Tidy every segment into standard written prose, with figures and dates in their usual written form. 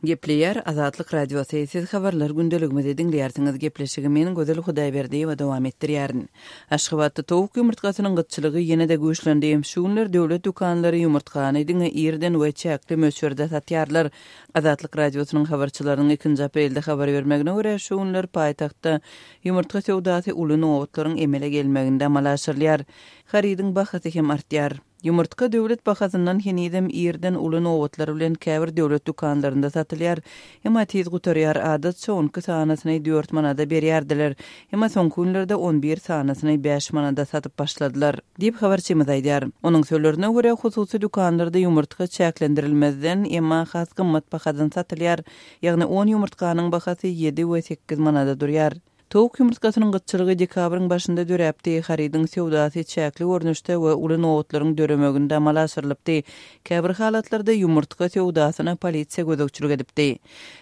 Gepleýär Azatlyk Radiosy, Siz Habarlar gündeligimizi diňleýärsiňiz. Gepleşigi men Gözel Hudaýberdiýewa dowam etdirýärin. Aşgabatda towuk ýumurtgasynyň gytçylygy ýene-de güýçlendi. Şu günler döwlet dükanlary ýumurtgany diňe irden we çäkli möçberde satýarlar. Azatlyk Radiosynyň habarçylarynyň ikinji aprelde habar bermegine görä, şu günler paýtagtda ýumurtga söwdasy uly nobatlaryň emele gelmeginde amala aşyrylýar. Harydyň bahasy hem artýar. Ýumurtga döwlet bahasyndan henizem irden uly nobatlar bilen käbir döwlet dükanlarynda satylýar. Emma tiz gutarýar, adatça on iki sanysyny dört manada berýärdiler. Emma soňky günlerde on bir sanysyny bäş manada satyp başladylar. Diýip, habarçymyz aýdýar. Onuň sözlerine görä, hususy dükanlarda ýumurtga çäklendirilmezden, emma has gymmat bahadan satylýar. Ýagny on ýumurtganyň bahasy ýedi we sekiz manada durýar. Towuk ýumurtgasynyň gytçylygy dekabryň başynda döräpdi, harydyň söwdasy çäkli görnüşde we uly nobatlaryň döremeginde amala aşyrylypdy. Käbir halatlarda ýumurtga söwdasyna polisiýa gözegçilik edipdi.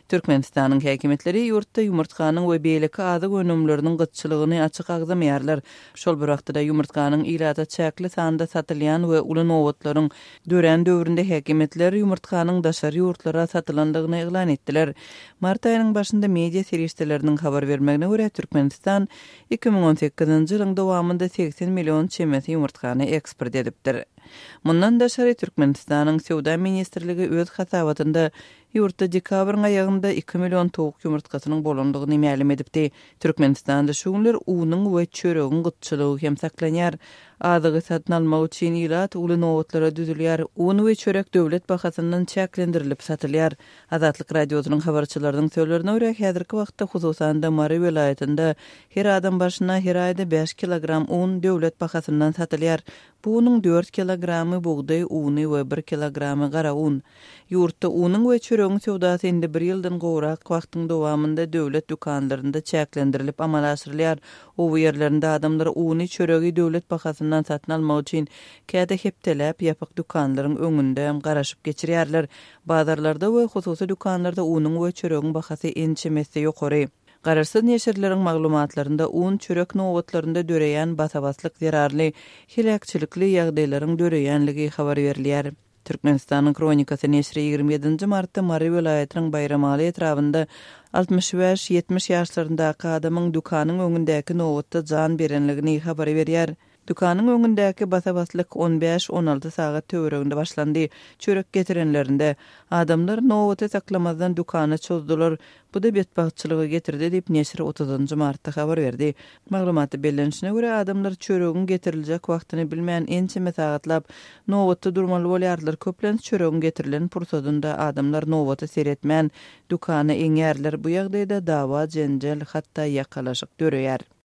Türkmenistanyň häkimiýetleri ýurtda ýumurtganyň we beýleki azyk önümleriniň gytçylygyny açyk agzamaýarlar. Şol bir wagtda-da ýumurtganyň ilata çäkli sanda satylýan we uly nobatlaryň dörän döwründe häkimiýetler ýumurtganyň daşary ýurtlara satylandygyny yglan etdiler. Mart aýynyň başynda media serişdeleriniň habar bermegine görä, Türkmenistan 2018-nji ýylyň dowamynda 80 million çemesi ýumurtgany eksport edipdir. Mundan daşary, Türkmenistanyň Söwda ministrligi öz hasabatynda ýurtda dekabryň aýagynda iki million towuk ýumurtgasynyň bolandygyny mälim edipdi. Türkmenistanda şu günler unuň we çöregiň gytçylygy hem saklanýar. Azygy satyn almak üçin ilat uly nobatlara düzülýär. Un we çörek döwlet bahasyndan çäklendirilip satylýar. Azatlyk Radiosynyň habarçylarynyň sözlerine görä, häzirki wagtda, hususan-da, Mary welaýatynda her adam başyna her aýda bäş kilogram un döwlet bahasyndan satylýar. Bu unuň dört kilogramy bugdaý uny we bir kilogramy gara un. Ýurtda unuň we çöregiň söwdasy indi bir ýyldan gowrak wagtyň dowamynda döwlet dükanlarynda çäklendirilip amala aşyrylýar. Oba ýerlerinde adamlar uny, çöregi döwlet bahasyndan satyn almak üçin käte hepdeläp ýapyk dükanlaryň öňünde garaşyp geçirýärler. Bazarlarda we hususy dükanlarda unuň we çöregiň bahasy ençeme esse ýokary. Garaşsyz neşirleriň maglumatlarynda un, çörek nobatlarynda döreýän basa-baslyk zerarly heläkçilikli ýagdaýlaryň döreýänligi habar berilýär. Türkmenistanyň Hronikasy neşiri 27 nji martda Mary welaýatynyň Baýramaly etrabynda 65, 70 ýaşlaryndaky adamyň dükanyň öňündäki nobatda jan berenligini habar berýär. Dükanyň öňündäki basa-baslyk on bäş, on alty sagat töwereginde başlandy. Çörek getirenlerinde, adamlar nobaty saklamazdan dükana çozdular. Bu-da betbagtçylyga getirdi diýip, neşir otuzynjy martda habar berdi. Maglumatda bellenişine görä, adamlar çöregiň getiriljek wagtyny bilmän ençeme sagatlap nobatda durmaly bolýarlar. Köplenç çöregiň getirilen pursadynda adamlar nobata seretmän, dükana eňýärler. Bu ýagdaýda dawa-jenjel, hatda ýakalaşyk döreýär.